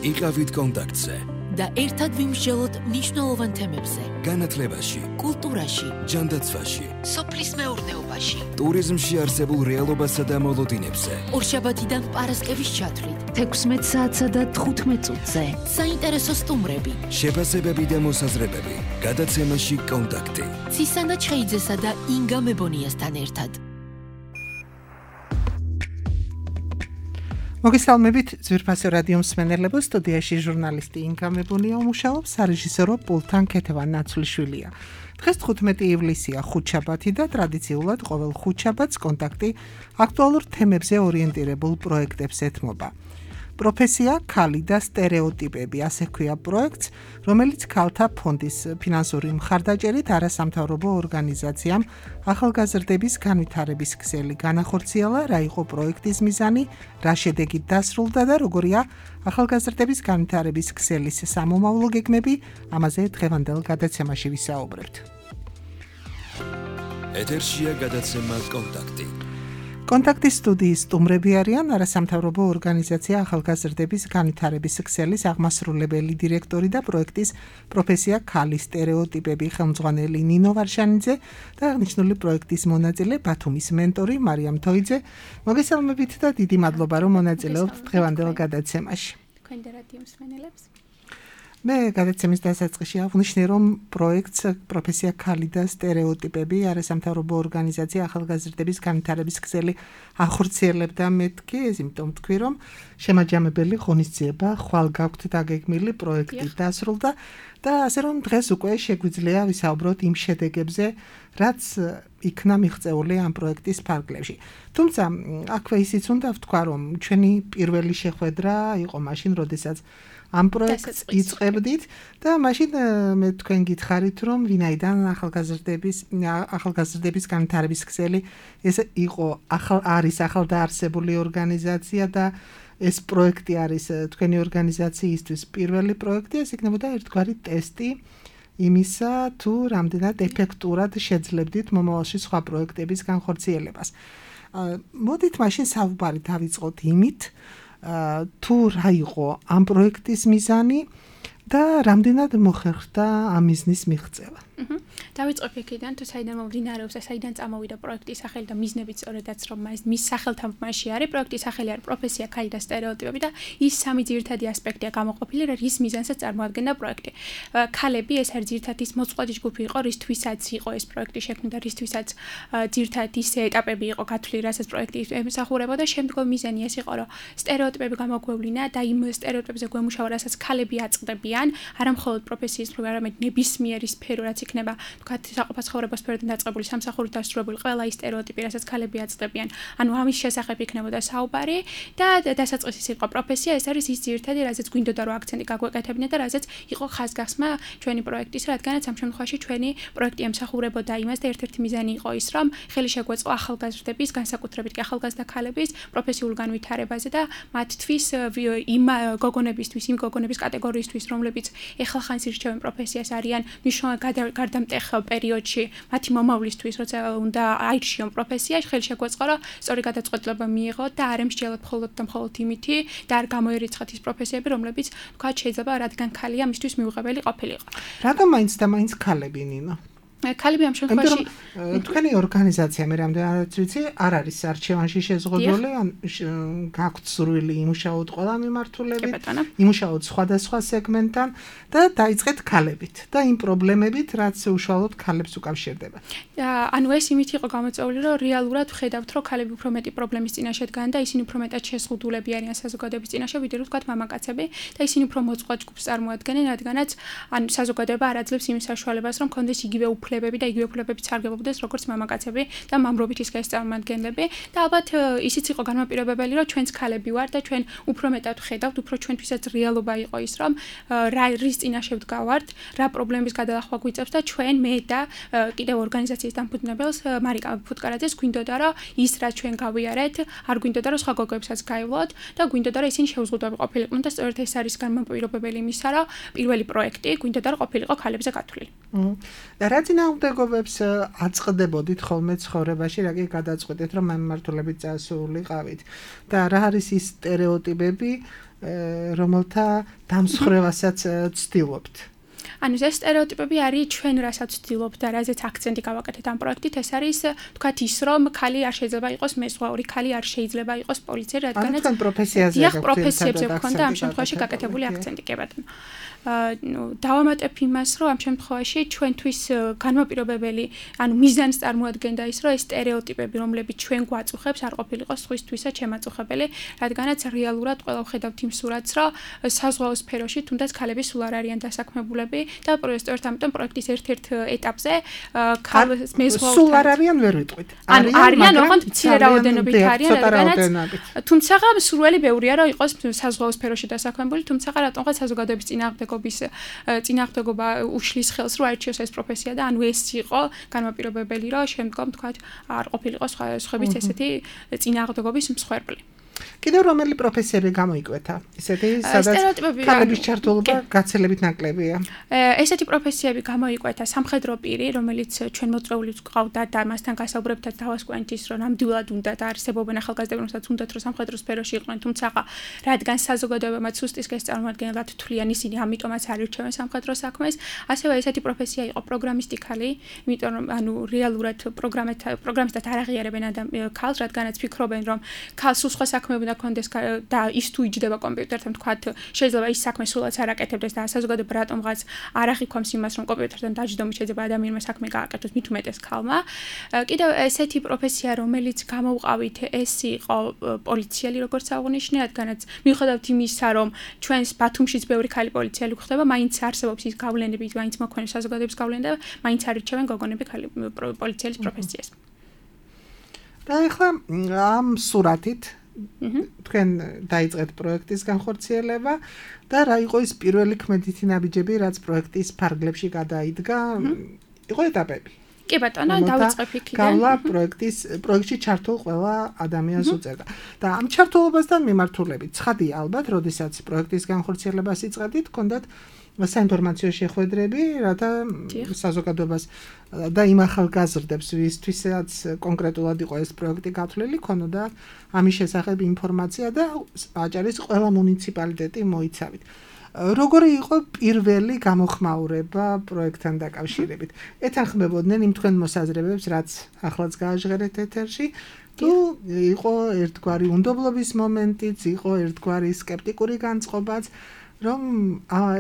იყავით კონტაქტზე და ერთად ვიმსჯელოთ მნიშვნელოვან თემებზე. განათლებაში, კულტურაში, ჯანდაცვაში, სოფლის მეურნეობაში, ტურიზმში არსებულ რეალობასა და მოლოდინებზე. ორშაბათიდან პარასკევის ჩათვლით 16 საათსა და 15 წუთზე. საინტერესო სტუმრები, შეფასებები და მოსაზრებები. გადაცემაში კონტაქტი. ცისანა ჩხეიძესა და ინგა მებონიასთან ერთად. მოგესალმებით ძვირფასო რადიო მსმენელებო, სტუდიაში ჟურნალისტი ინგა მებონია უმუშაობს, სარეჟისორო პულტთან ქეთევან ნაცვლიშვილია. დღეს 15 ივლისია, ხუთშაბათი და ტრადიციულად ყოველ ხუთშაბათს კონტაქტი აქტუალურ თემებზე ორიენტირებულ პროექტებს ეთმობა. პროფესია, ქალი და სტერეოტიპები, ასე ქვია პროექტს, რომელიც ქალთა ფონდის ფინანსური მხარდაჭერით არასამთავრობო ორგანიზაციამ ახალგაზრდების განვითარების ქსელი განახორციელა, რა იყო პროექტის მიზანი, რა შედეგით დასრულდა და როგორია ახალგაზრდების განვითარების ქსელის სამომავლო გეგმები, ამაზე დღევანდელ გადაცემაში ვისაუბრებთ. ეთერშია გადაცემა კონტაქტი. კონტაქტის სტუდიის სტუმრები არიან არასამთავრობო ორგანიზაცია ახალგაზრდების განვითარების ქსელის აღმასრულებელი დირექტორი და პროექტის პროფესია ქალი სტერეოტიპები ხელმძღვანელი ნინო ვარშანიძე და აღნიშნული პროექტის მონაწილე ბათუმის მენტორი მარიამ თოიძე. მოგესალმებით და დიდი მადლობა რომ მონაწილეობთ დღევანდელ გადაცემაში. თქვენ და რადიო მსმენელებს. მე გადაცემის დასაწყისში აღვნიშნე, რომ პროექტს პროფესია ქალი და სტერეოტიპები არასამთავრობო ორგანიზაცია ახალგაზრდების განვითარების ქსელი ახორციელებდა. მეთქი ეს იმიტომ თქვი, რომ შემაჯამებელი ღონისძიება ხვალ გაქვთ დაგეგმილი პროექტი დასრულდა და ასე რომ დღეს უკვე შეგვიძლია ვისაუბროთ იმ შედეგებზე, რაც იქნა მიღწეული ამ პროექტის ფარგლებში. თუმცა აქვე ისიც უნდა ვთქვა, რომ ჩვენი პირველი შეხვედრა იყო მაშინ, როდესაც ამ პროექტს იწყებდით და მაშინ მე თქვენ გითხარით, რომ ვინაიდან ახალგაზრდების განვითარების ქსელი ეს იყო არის ახალდაარსებული ორგანიზაცია და ეს პროექტი არის თქვენი ორგანიზაციისთვის პირველი პროექტი, ეს იქნებოდა ერთგვარი ტესტი იმისა, თუ რამდენად ეფექტურად შეძლებდით მომავალში სხვა პროექტების განხორციელებას. მოდით მაშინ საუბარი დავიწყოთ იმით, თუ რა იყო ამ პროექტის მიზანი და რამდენად მოხერხდა ამ მიზნის მიღწევა. დავიწყებ იქიდან, თუ საიდან მომდინარეობს და საიდან წამოვიდა პროექტის სახელი და მიზნებიც სწორედაც რომ მის სახელთანხმაში არის. პროექტის სახელი არის პროფესია, ქალი და სტერეოტიპები და ის სამი ძირითადი ასპექტია გამოყოფილი, რის მიზანსაც წარმოადგენდა პროექტი. ქალები ეს არის ძირითადი ის მოწყვლადი ჯგუფი იყო, რისთვისაც იყო ეს პროექტი შექმნილი და რისთვისაც ძირითადი ის ეტაპები იყო გათვლილი, რასაც პროექტი ემსახურებოდა. შემდგომ მიზანი ეს იყო, რომ სტერეოტიპები გამოგვევლინა და იმ სტერეოტიპებზე გვემუშავა, რასაც ქალები აწყდებიან, არა მხოლოდ პროფესიის მხრივ, არამედ ნებისმიერი სფერო, რაც იქნება თქვათ საყოფაცხოვრებო სფეროდან დაწყებული, სამსახურით დასრულებული ყველა ის სტერეოტიპი, რასაც ქალები აწყდებიან. ანუ ამის შესახებ იქნებოდა საუბარი და დასაწყისის იყო პროფესია, ეს არის ის ძირითადი, რაზეც გვინდოდა რომ აქცენტი გაგვეკეთებინა და რაზეც იყო ხაზგასმა ჩვენი პროექტის, რადგანაც ამ შემთხვევაში ჩვენი პროექტი ემსახურებოდა იმას და ერთ-ერთი მიზანი იყო ის, რომ ხელი შეგვეწყო ახალგაზრდების, განსაკუთრებით კი ახალგაზრდა ქალების პროფესიულ განვითარებაზე და მათთვის იმ გოგონებისთვის, იმ გოგონების კატეგორიისთვის, რომლებიც ეხალხანს ირჩევენ პროფესიას, არიან მნიშვნელოვანი გარდამტეხ პერიოდში მათი მომავლისთვის, როცა უნდა აირჩიონ პროფესიაში, ხელი შეგვეწყო, რომ სწორი გადაწყვეტილება მიიღოთ და არ ემსჯელოთ მხოლოდ და მხოლოდ იმითი და არ გამოერიცხათ ის პროფესიები, რომლებიც თქვათ შეიძლება რადგან ქალია მისთვის მიუღებელი ყოფილიყო. რატომ მაინც და მაინც ქალები, ნინო? ქალები ამ შემთხვევაში თქვენი ორგანიზაცია მე რამდენადაც ვიცი, არ არის არჩევანში შეზღუდული, ან გაქვთ სურვილი იმუშაოთ ყველა მიმართულებით, იმუშაოთ სხვადასხვა სეგმენტთან და დაიწყეთ ქალებით და იმ პრობლემებით, რაც უშუალოდ ქალებს უკავშირდება. ანუ ეს იმით იყო გამოწვეული, რომ რეალურად ვხედავთ, რომ ქალები უფრო მეტი პრობლემის წინაშე დგან და ისინი უფრო მეტად შეზღუდულები არიან საზოგადოების წინაშე, ვიდრე რომ თქვათ მამაკაცები და ისინი უფრო მოწყვლად ჯგუფს წარმოადგენენ, რადგანაც ან საზოგადოება არ აძლევს იმის საშუალებას, რომ კონდეს იგივე უფლებები და იგივე უფლებები სარგებლობდეს როგორც მამაკაცები და მამრობით ის გასწავლმადგენლები და ალბათ ისიც იყო განმაპირობებელი, რომ ჩვენც ქალები ვარ და ჩვენ უფრო მეტად ვხედავთ, უფრო ჩვენთვისაც რეალობა იყო ის, რომ რის წინაშე ვდგავართ, რა პრობლემების გადალახვა გვიწევს და ჩვენ მე და კიდევ ორგანიზაციის დამფუძნებელს მარიკა ფუტკარაძეს გვინდოდა, რომ ის რაც ჩვენ გავიარეთ, არ გვინდოდა, რომ სხვა გოგოებსაც გაივლოთ და გვინდოდა, რომ ისინი შეუზღუდავი ყოფილიყვნენ და სწორედ ეს არის განმაპირობებელი იმისა, რომ პირველი პროექტი გვინდოდა, რომ ყოფილიყო ქალებზე გათვლილი. და რა წინა წინააღმდეგობებს აწყდებოდით ხოლმე ცხოვრებაში, რა კი გადაწყვეტეთ, რომ მემართულებით წასულიყავით და რა არის ის სტერეოტიპები, რომელთა დამსხვრევასაც ცდილობთ? ანუ ეს სტერეოტიპები არის ჩვენ რასაც ვცდილობთ და რაზეც აქცენტი გავაკეთეთ ამ პროექტით, ეს არის თქვათ ის, რომ ქალი არ შეიძლება იყოს მეზღვაური, ქალი არ შეიძლება იყოს პოლიციელი, რადგანაც ანუ პროფესიაზე პროფესიებზე გქონდა ამ შემთხვევაში გაკეთებული აქცენტი, კი ბატონო. დავამატებ იმას, რომ ამ შემთხვევაში ჩვენთვის განმაპირობებელი, ანუ მიზანს წარმოადგენდა ის, რომ ეს სტერეოტიპები, რომლებიც ჩვენ გვაწუხებს, არ ყოფილიყო სხვისთვისაც შემაწუხებელი, რადგანაც რეალურად ყველა ვხედავთ იმ სურათს, რომ საზღვაო სფეროში თუნდაც ქალები სულ არ არიან დასაქმებულები და პროექტორთ ამიტომ პროექტის ერთ-ერთ ეტაპზე ქალებს მეზღვაურთან სულ არ არიან ვერ ვიტყვით. ანუ არიან, ოღონდ მცირე რაოდენობით არიან, რადგანაც თუმცა სურველი ბევრია, რომ იყოს საზღვაო სფეროში დასაქმებული, თუმცა რატომღაც საზოგადოების წინააღმდეგობა უშლის ხელს, რომ აირჩიოს ეს პროფესია და ანუ ეს იყო განმაპირობებელი, რომ შემდგომ თქვათ არ ყოფილიყო სხვების ესეთი წინააღმდეგობის მსხვერპლი. კიდევ რომელი პროფესიები გამოიკვეთა? ისეთი, სადაც ქალების ჩართულობა გაცილებით ნაკლებია. ესეთი პროფესიები გამოიკვეთა სამხედრო პირი, რომელიც ჩვენ მოწვეულიც გვყავდა და მასთან გასაუბრებთაც დავასკვენთ ის, რომ ნამდვილად უნდა და არსებობენ ახალგაზრდები, რომელსაც უნდათ რომ სამხედრო სფეროში იყვნენ, თუმცა რადგან საზოგადოებამ სუსტის კეს წარმოადგენლად თვლიან ისინი, ამიტომაც არ ირჩევენ სამხედრო საქმეს. ასევე ესეთი პროფესია იყო პროგრამისტი ქალი, იმიტომ რომ ანუ რეალურად პროგრამისტად არ აღიარებენ ქალს, რადგანაც ფიქრობენ, რომ ქალს სხვა საქმეები კონდეს და ის თუ იჯდება კომპიუტერთან, თქვათ, შეიძლება ის საქმე სულაც არ აკეთებდეს და საზოგადოება რატომღაც არ აღიქვამს იმას, რომ კომპიუტერთან დაჯდომით შეიძლება ადამიანმა საქმე გააკეთოს, მით უმეტეს ქალმა. კიდევ ესეთი პროფესია, რომელიც გამოვყავით, ეს იყო პოლიციელი, როგორც აღნიშნე, რადგანაც მიუხედავად იმისა, რომ ჩვენს ბათუმშიც ბევრი ქალი პოლიციელი გვხდება, მაინც არსებობს ის გავლენები, მაინც მოქმედებს საზოგადოების გავლენა და მაინც არ ირჩევენ გოგონები ქალი პოლიციელის პროფესიას. და ახლა ამ სურათით თქვენ დაიწყეთ პროექტის განხორციელება და რა იყო ის პირველი ქმედითი ნაბიჯები, რაც პროექტის ფარგლებში გადაიდგა? იყო ეტაპები. კი ბატონო, დავიწყებ იქიდან. გავლა პროექტში ჩართულ ყველა ადამიანს უწევდა. და ამ ჩართულობასთან მიმართულებით ცხადია ალბათ, როდესაც პროექტის განხორციელებას იწყებდით, ჰქონდათ საინფორმაციო შეხვედრები, რათა საზოგადოებას და იმ ახალგაზრდებს, ვისთვისაც კონკრეტულად იყო ეს პროექტი გათვლილი, ქონოდა ამის შესახებ ინფორმაცია და აჭარის ყველა მუნიციპალიტეტი მოიცავით. როგორი იყო პირველი გამოხმაურება პროექტთან დაკავშირებით? ეთანხმებოდნენ იმ თქვენ მოსაზრებებს, რაც ახლაც გააჟღერეთ ეთერში, თუ იყო ერთგვარი უნდობლობის მომენტიც, იყო ერთგვარი სკეპტიკური განწყობაც, რომ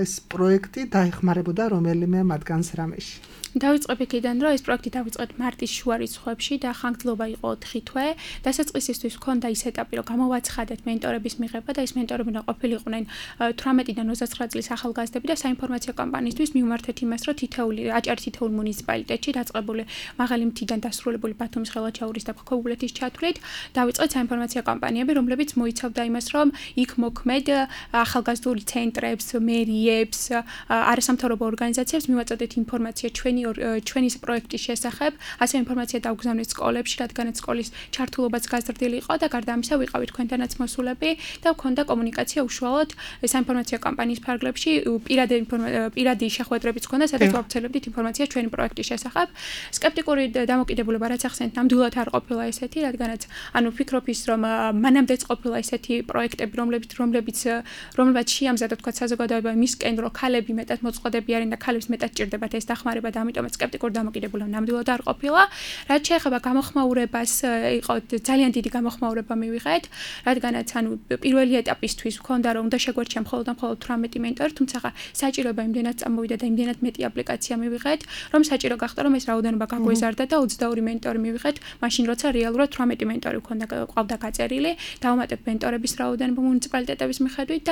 ეს პროექტი დაეხმარებოდა რომელიმე მათგანს რამეში? დავიწყებ იქიდან, რომ ეს პროექტი დავიწყეთ მარტის შუა რიცხვებში და ხანგრძლობა იყო 4 თვე. დასაწყისისთვის ჰქონდა ის ეტაპი, რომ გამოვაცხადეთ მენტორების მიღება და ეს მენტორები ყოფილიყვნენ 18-დან 29 წლის ახალგაზრდები და საინფორმაციო კამპანიისთვის მიმართეთ იმას, რომ აჭარის თითოეულ მუნიციპალიტეტში დაწყებული მაღალი მთიდან დასრულებული ბათუმის, ხელვაჩაურის და ქოქობულეთის ჩათვლით დავიწყეთ საინფორმაციო კამპანიები, რომლებიც მოიცავდა იმას, რომ იქ მოქმედ ახალგაზრდული ცენტრებს, მერიებს, არასამთავრობო ორგანიზაციებს მივაწოდეთ ინფორმაცია ჩვენი პროექტის შესახებ, ასე ინფორმაცია დავგზავნეთ სკოლებში, რადგანაც სკოლის ჩართულობაც გაზრდილი იყო და გარდა ამისა ვიყავით თქვენთანაც მოსულები და ვქონდა კომუნიკაცია უშუალოდ საინფორმაციო კამპანიის ფარგლებში, პირადი შეხვედრებიც ჰქონდა, სადაც ვავრცელებდით ინფორმაციას ჩვენი პროექტის შესახებ. სკეპტიკური დამოკიდებულება, რაც ახსენეთ, ნამდვილად არ ყოფილა ესეთი, რადგანაც ანუ ვფიქრობ ის, რომ მანამდეც ყოფილა ესეთი პროექტები, რომლებიც შეამზადა თქვა საზოგადოება მისკენ, რომ ქალები მეტად მოწყობები არიან და ქალებს მეტად ჭირდებათ ეს დახმარება და ამიტომაც სკეპტიკური დამოკიდებულება ნამდვილად არ ყოფილა. რაც შეეხება გამოხმაურებას, იყო ძალიან დიდი გამოხმაურება მივიღეთ, რადგანაც ანუ პირველი ეტაპისთვის ვქონდა რომ უნდა შეგვერჩია მხოლოდ 18 მენტორი, თუმცა საჭიროება იმდენად წამოვიდა და იმდენად მეტი აპლიკაცია მივიღეთ, რომ საჭირო გახდა რომ ეს რაოდენობა გაგვეზარდა და 22 მენტორი მივიღეთ, მაშინ როცა რეალურად 18 მენტორი ყავდა გაწერილი, დავამატებ მენტორების რაოდენობა მუნიციპალიტეტების მიხედვით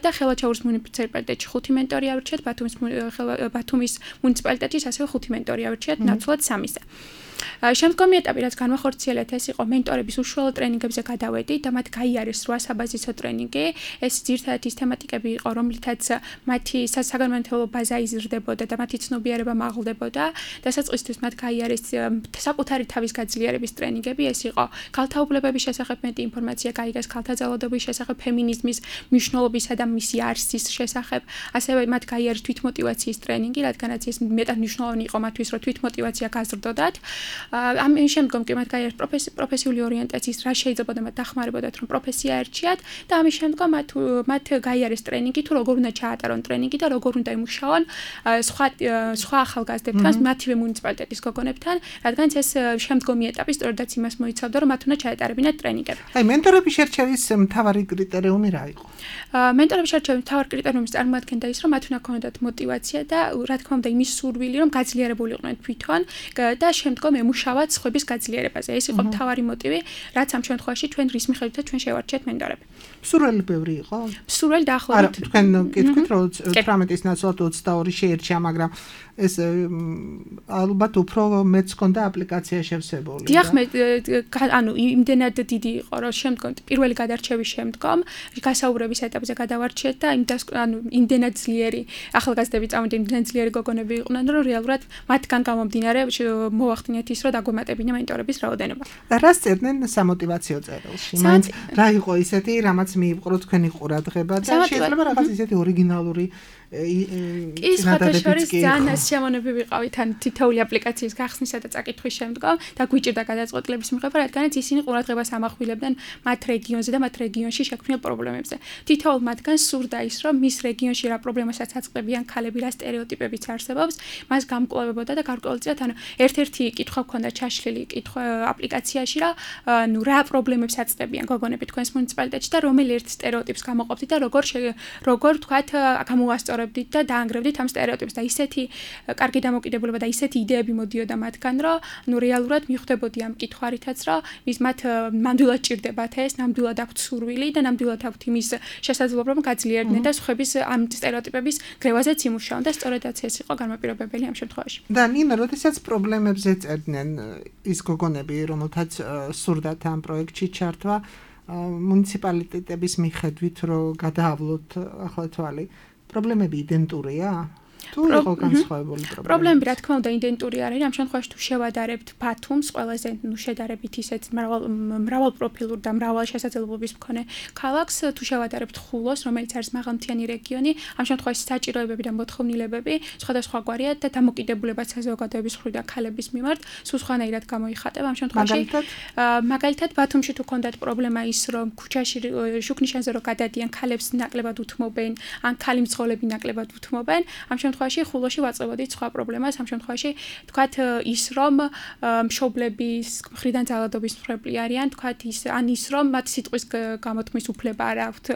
და ხელვაჩაურის მუნიციპალიტეტში 5 მენტორი ავირჩიეთ, ბათუმის მუნიციპალიტეტში ასევე 5 მენტორი ავირჩიეთ, ნაცვლად 3-ზე. შემდგომი ეტაპი, რაც განვახორციელეთ, ეს იყო მენტორების უშუალო ტრენინგებზე გადავედი და მათ გაიარეს 8 საბაზისო ტრენინგი. ეს ძირითადად ის თემატიკები იყო, რომლითაც მათი საგანმანათლებლო ბაზა იზრდებოდა და მათი ცნობიერება მაღლდებოდა. დასაწყისთვის მათ გაიარეს საკუთარი თავის გაძლიერების ტრენინგები, ეს იყო ქალთა უფლებების შესახებ მეტი ინფორმაცია გაიგეს, ქალთა ძალადობის შესახებ, ფემინიზმის მნიშვნელობისა და მისი არსის შესახებ. ასევე მათ გაიარეს თვითმოტივაციის ტრენინგი, რადგანაც ეს მეტად მნიშვნელოვანი იყო მათთვის, რომ თვითმოტივაცია გაზრდოდათ. ამის შემდგომ კი მათ გაიარეს პროფესიული ორიენტაციის რა შეიძლება და მათ დახმარებოდათ, რომ პროფესია ერჩიათ და ამის შემდგომ მათ გაიარეს ტრენინგი, თუ როგორ უნდა ჩაატარონ ტრენინგი და როგორ უნდა იმუშაონ სხვა ახალგაზრდებთან, მათივე მუნიციპალიტეტის გოგონებთან, რადგანაც ეს შემდგომი ეტაპი სწორედაც იმას მოიცავდა, რომ მათ უნდა ჩაეტარებინათ ტრენინგები. აი, მენტორების შერჩევის მთავარი კრიტერიუმი რა იყო? მენტორების შერჩევის მთავარი კრიტერიუმი წარმოადგენდა ის, რომ მათ უნდა ქონოდათ მოტივაცია და რა თქმა უნდა იმის სურვილი, რომ გაძლიერებული იყვნენ თვითონ და შემდგომ ემუშავათ სხვების გაძლიერებაზე. ეს იყო მთავარი მოტივი, რაც ამ შემთხვევაში ჩვენ რის მიხედვითაც ჩვენ შევარჩიეთ მენტორები. მსურველი ბევრი იყო? მსურველი დაახლოებით. არა, თქვენ გითხრით, რომ 18-ის ნაცვლად 22 შეერჩია, მაგრამ ეს ალბათ უფრო მეც ქონდა აპლიკაცია შევსებული. დიახ, ანუ იმდენად დიდი იყო, რომ შემდგომ პირველი გადარჩევის შემდგომ გასაუბრების ეტაპზე გადავარჩიეთ და იმდენად ძლიერი ახალგაზრდები წავიდა, იმდენად ძლიერი გოგონები იყვნენ, რომ რეალურად მათგან გამომდინარე მოვახდინეთ ის, რომ დაგგვემატებინა მენტორების რაოდენობა. და რა სწერდნენ სამოტივაციო წერილში? მაინც რა იყო ისეთი, რამაც მიიპყრო თქვენი ყურადღება და შეიძლება რაღაც ისეთი ორიგინალური ის ხათაშორის ძალიან შემონები ვიყავით ან თითოეული აპლიკაციის გახსნისა და წაკითხვის შემდგომ და გვიჭირდა გადაწყვეტილების მიღება, რადგანაც ისინი ყურადღებას ამახვილებდნენ მათ რეგიონზე და მათ რეგიონში შექმნილ პრობლემებზე. თითოეულ მათგან სურდა ის, რომ მის რეგიონში რა პრობლემასაც აწყდებიან ქალები, რა სტერეოტიპებიც არსებობს, მას გამკვლევებოდა და გარკვეულწილად ერთ-ერთი კითხვა ჰქონდა ჩაშლილი კითხვა აპლიკაციაში, რა პრობლემებს აწყდებიან გოგონები თქვენს მუნიციპალიტეტში და რომელ ერთ სტერეოტიპს გამოყოფდით და როგორ თქვათ გამოვასწორებდით და დაანგრევდით ამ სტერეოტიპს და ისეთი კარგი დამოკიდებულება და ისეთი იდეები მოდიოდა მათგან, რომ რეალურად მიხვდებოდი ამ კითხვარითაც, რომ მათ ნამდვილად ჭირდებათ ეს, ნამდვილად აქვთ სურვილი და ნამდვილად აქვთ იმის შესაძლებლობა, რომ გაძლიერდნენ და სხვების ამ სტერეოტიპების გრევაზეც იმუშაონ და სწორედაც ეს იყო განმაპირობებელი ამ შემთხვევაში. და ნინა, როდესაც პრობლემებზე წერდნენ ის გოგონები, რომელთაც სურდათ ამ პროექტში ჩართვა, მუნიციპალიტეტების მიხედვით, რომ გადაავლოთ ახლა თვალი, პრობლემები იდენტურია? თუ იყო განსხვავებული პრობლემები, რა თქმა უნდა, იდენტური არის. ამ შემთხვევაში თუ შევადარებთ ბათუმს, ყველაზე შედარებით ისეთ მრავალპროფილურ და მრავალ შესაძლებლობის მქონე ქალაქს, თუ შევადარებთ ხულოს, რომელიც არის მაღალმთიანი რეგიონი, ამ შემთხვევაში საჭიროებები და მოთხოვნილებები სხვადასხვაგვარია და დამოკიდებულებაც საზოგადოების მხრიდან ქალების მიმართ სულ სხვანაირად გამოიხატება. ამ შემთხვევაში მაგალითად ბათუმში თუ ქონდათ პრობლემა ის, რომ ქუჩაში შუქნიშანზე რო გადადიან, ქალებს ნაკლებად უთმობენ, ან ქალი მძღოლები ნაკლებად უთმობენ, ამ შემთხვევაში ხულოში ვაწევოდით სხვა პრობლემას. ამ შემთხვევაში თქვათ ის, რომ მშობლების მხრიდან ძალადობის მხრები არიან, თქვათ ის, რომ მათ სიტყვის გამოთქმის უფლება არ აქვთ,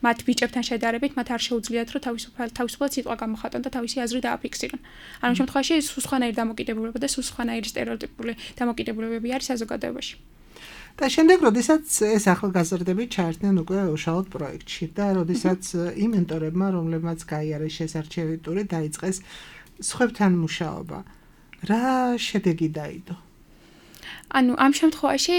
მათ ბიჭებთან შედარებით, მათ არ შეუძლიათ, რომ თავისუფლად სიტყვა გამოხატონ და თავისი აზრი დააფიქსირონ. ამ შემთხვევაში სულ სხვანაირი დამოკიდებულება და სულ სხვანაირი სტერეოტიპული დამოკიდებულებები არის საზოგადოებაში. და შემდეგ, როდესაც ეს ახალგაზრდები ჩაერთნენ უკვე უშუალოდ პროექტში და როდესაც იმ მენტორებმა, რომლებმაც გაიარეს შესარჩევი ტური, დაიწყეს სხვებთან მუშაობა, რა შედეგი დაიდო? ანუ ამ შემთხვევაში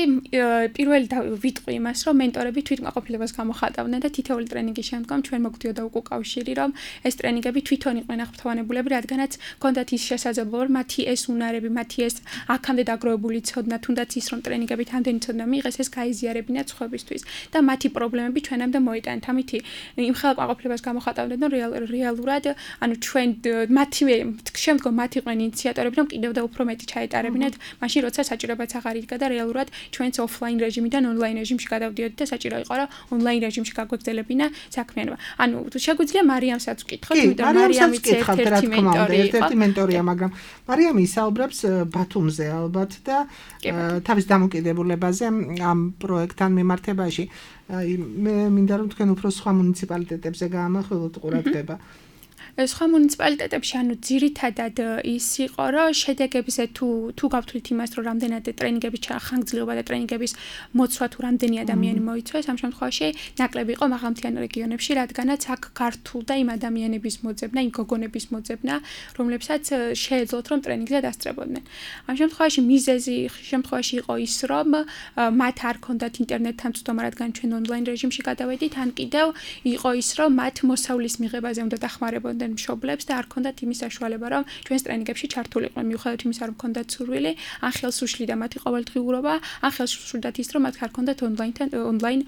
პირველი ვიტყვი იმას, რომ მენტორები თვითმაყოფილებას გამოხატავდნენ და თითოეული ტრენინგის შემდგომ ჩვენ მოგვდიოდა უკავშირი, რომ ეს ტრენინგები თვითონ იყვნენ აღფრთოვანებულები, რადგანაც ჰქონდათ ის შესაძლებლობა, რომ მათი ეს უნარები, მათი ეს აქამდე დაგროვებული ცოდნა, თუნდაც ის, რომ ტრენინგებით ამდენი ცოდნა მიიღეს, ეს გაიზიარებინათ სხვებისთვის და მათი პრობლემები ჩვენამდე მოიტანეთ. ამითი იმ ხელმაყოფილებას გამოხატავდნენ, რომ რეალურად, ანუ ჩვენ მათივე შემდგომ მათ იყვნენ ინიციატორები, რომ კიდევ და უფრო მეტი ჩაეტარებინათ, მაშინ როცა საჭიროებაც აღარ იდგა და რეალურად ჩვენც ოფლაინ რეჟიმიდან ონლაინ რეჟიმში გადავდიოდით და საჭირო იყო, რომ ონლაინ რეჟიმში გაგვეგზელებინა საქმიანობა. ანუ შეგვიძლია მარიამსაც ვკითხოთ, იმიტომ რომ მარიამიც ერთ-ერთი მენტორია, მაგრამ მარიამი ისაუბრებს ბათუმზე ალბათ და თავის დამოკიდებულებაზე ამ პროექტთან მიმართებაში. მე მინდა რომ თქვენ უფრო სხვა მუნიციპალიტეტებზე გაამახვილოთ ყურადღება. სხვა მუნიციპალიტეტებში ანუ ძირითადად ის იყო, რომ შედეგებზე თუ გავთვლით იმას, რომ რამდენად ტრენინგების ხანგრძლივობა და ტრენინგების მოცვა თუ რამდენი ადამიანი მოიცვეს, ამ შემთხვევაში ნაკლები იყო მაღალმთიან რეგიონებში, რადგანაც აქ გართულდა იმ ადამიანების მოძებნა, იმ გოგონების მოძებნა, რომლებსაც შეეძლოთ რომ ტრენინგზე დასწრებოდნენ. ამ შემთხვევაში მიზეზი შემთხვევაში იყო ის, რომ მათ არ ქონდათ ინტერნეტთან წვდომა, რადგან ჩვენ ონლაინ რეჟიმში გადავედით, ან კიდევ იყო ის, რომ მათ მოსავლის მიღებაზე უნდა დახმარებოდნენ მშობლებს და არ ქონდათ იმის საშუალება, რომ ჩვენს ტრენინგებში ჩართულიყვნენ, მიუხედავად იმისა, რომ ქონდათ სურვილი, ან ხელს უშლიდა მათი ყოველდღიურობა, ან ხელს უშლიდათ ის, რომ მათ არ ქონდათ ონლაინ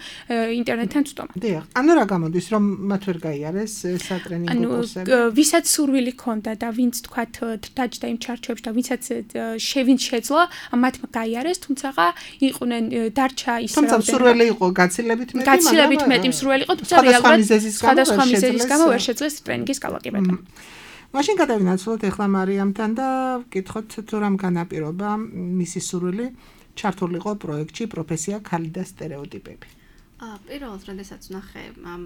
ინტერნეტთან წვდომა. დიახ, ანუ რა გამოდის, რომ მათ ვერ გაიარეს სატრენინგო კურსები? ვისაც სურვილი ქონდა და ვინც თქვათ დაჯდა იმ ჩარჩოებში და ვინცაც ვინც შეძლო, მათ გაიარეს, თუმცა იყვნენ დარჩა ის თუმცა სურვილი იყო გაცილებით მეტი, გაცილებით მეტი სურვილი იყო, თუმცა რეალურად სხვადასხვა მიზეზის გამო ვერ შეძლეს ტრენინგის გავაკეთება. მაშინ გადავინაცვლოთ ახლა მარიამთან და ვკითხოთ თუ რამ განაპირობა მისი სურვილი ჩართულიყო პროექტში პროფესია ქალი და სტერეოტიპები. პირველად, როდესაც ვნახე ამ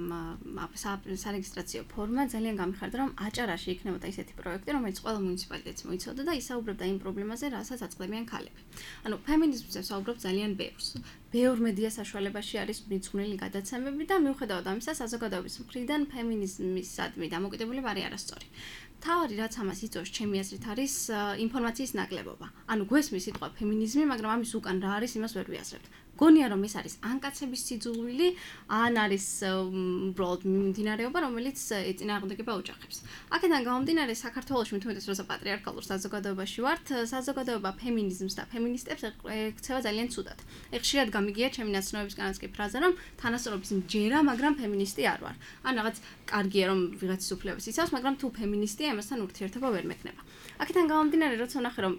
სარეგისტრაციო ფორმა, ძალიან გამიხარდა, რომ აჭარაში იქნებოდა ისეთი პროექტი, რომელიც ყველა მუნიციპალიტეტს მოიცავდა და ისაუბრებდა იმ პრობლემაზე, რასაც აწყდებიან ქალები. ანუ ფემინიზმზე ვსაუბრობ ძალიან ბევრს. ბევრ მედია საშუალებაში არის მიძღვნილი გადაცემები და მიუხედავად ამისა, საზოგადოების მხრიდან ფემინიზმისადმი დამოკიდებულება არის არასწორი. თავი რაც ამას იწვევს ჩემი აზრით არის ინფორმაციის ნაკლებობა. ანუ გვესმის სიტყვა ფემინიზმი, მაგრამ ამის უკან რა არის, იმას ვერ ვიაზრებთ. გონია რომ ეს არის ან კაცების სიძულვილი, ან არის უბრალოდ მიმდინარეობა, რომელიც ეწინააღმდეგება ოჯახებს. აქედან გამომდინარე, საქართველოში მithumetes როცა პატრიარქალურ საზოგადოებაში ვართ, საზოგადოება ფემინიზმს და ფემინისტებს ექცევა ძალიან ცუდად. ხშირად გამიგია ჩემი ნაცნობებისგანაც კი ფრაზა, რომ თანასწორობის მჯერა, მაგრამ ფემინისტი არ ვარ. ან რაღაც კარგია რომ ვიღაცის უფლებებს იცავს, მაგრამ თუ ფემინისტია, ამასთან ურთიერთობა ვერ მექნება. აქედან გამომდინარე, როცა ვნახე რომ